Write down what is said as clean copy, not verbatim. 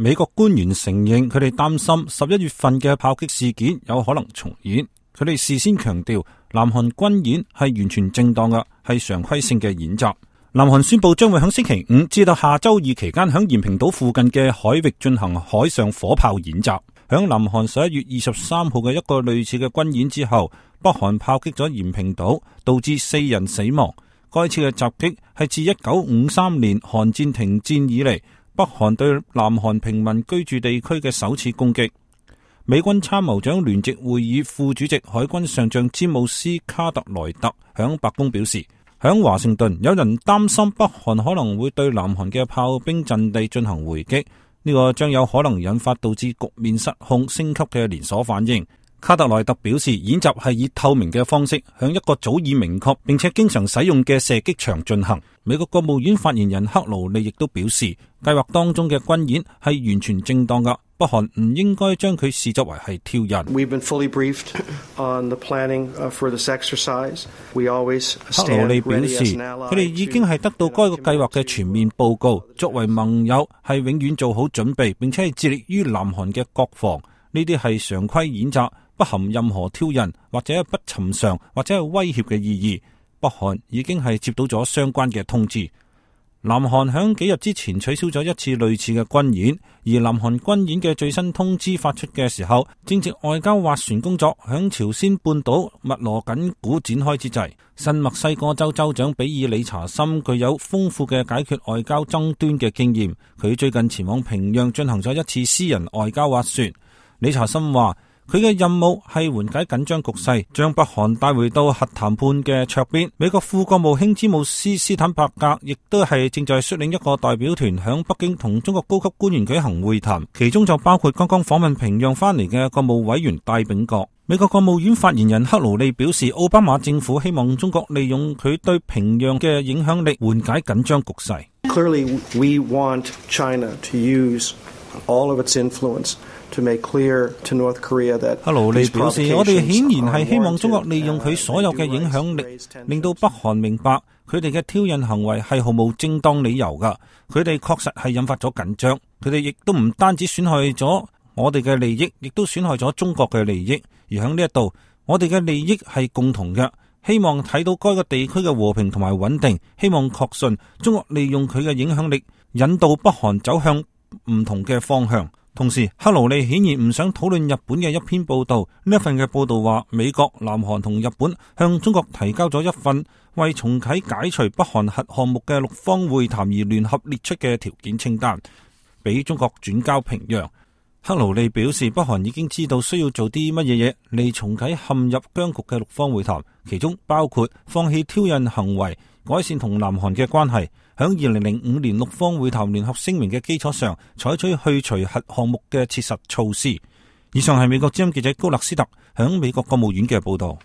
美國官員承認佢哋擔心11月份嘅炮擊事件有可能重演。佢哋事先強調，南韓軍演係完全正當嘅，係常規性嘅演習。南韓宣布將會喺星期五至到下周二期間喺延坪島附近嘅海域進行海上火炮演習。喺南韓11月23號嘅一個類似嘅軍演之後，北韓炮擊咗延坪島，導致4人死亡。該次嘅襲擊係自1953年韓戰停戰以嚟，北韓對南韓平民居住地區嘅首次攻擊。美軍參謀長聯席會議副主席海軍上將詹姆斯卡特萊特響白宮表示，響華盛頓有人擔心北韓可能會對南韓嘅炮兵陣地進行回擊，呢個將有可能引發導致局面失控升級嘅連鎖反應。卡特萊特表示，演習係以透明嘅方式向一個早已明確並且經常使用嘅射擊場進行。美國國務院發言人克勞利亦都表示，計劃當中嘅軍演係完全正當㗎，北韓唔應該將佢視作為係挑釁。克勞利表示，佢哋已經係得到該個計劃嘅全面報告，作為盟友係永遠做好準備，並且係致力於南韓嘅國防。呢啲係常規演習，不含任何挑釁或者不尋常或者係威脅嘅意義。北韓已經係接到咗相關嘅通知。南韓響幾日之前取消咗一次類似嘅軍演，而南韓軍演嘅最新通知發出嘅時候，正值外交斡旋工作響朝鮮半島密鑼緊鼓展開之際。新墨西哥州州長比爾理查森具有豐富嘅解決外交爭端嘅經驗，佢最近前往平壤進行咗一次私人外交斡旋。理查森話，佢嘅任務係緩解緊張局勢，將北韓帶回到核談判嘅桌邊。美國副國務卿詹姆斯斯坦伯格亦都係正在率領一個代表團響北京同中國高級官員舉行會談，其中就包括剛剛訪問平壤翻嚟嘅國務委員戴秉國。美國國務院發言人克勞利表示，奧巴馬政府希望中國利用佢對平壤嘅影響力緩解緊張局勢。Clearly, we want China to use all of its influence to make clear to North Korea that 克勞利表示，我哋顯然係希望中國利用佢所有嘅影響力，令到北韓明白佢哋嘅挑釁行為係毫無正當理由噶。佢哋確實係引發咗緊張，佢哋亦都唔單止損害咗我哋嘅利益，亦都損害咗中國嘅利益。而喺呢一度，我哋嘅利益係共同嘅，希望睇到該個地區嘅和平同埋穩定，希望確信中國利用佢嘅影響力引導北韓走向唔同嘅方向。同時，克勞利顯然唔想討論日本嘅一篇報道。呢一份嘅報道話，美國、南韓同日本向中國提交咗一份為重啟解除北韓核項目嘅6方會談而聯合列出嘅條件清單，俾中國轉交平壤。克勞利表示，北韓已經知道需要做啲乜嘢嚟重啟陷入僵局嘅6方會談，其中包括放棄挑釁行為，改善同南韓嘅關係，喺2005年6方會談聯合聲明嘅基礎上，採取去除核項目嘅切實措施。以上係美國之音記者高勒斯特響美國國務院嘅報道。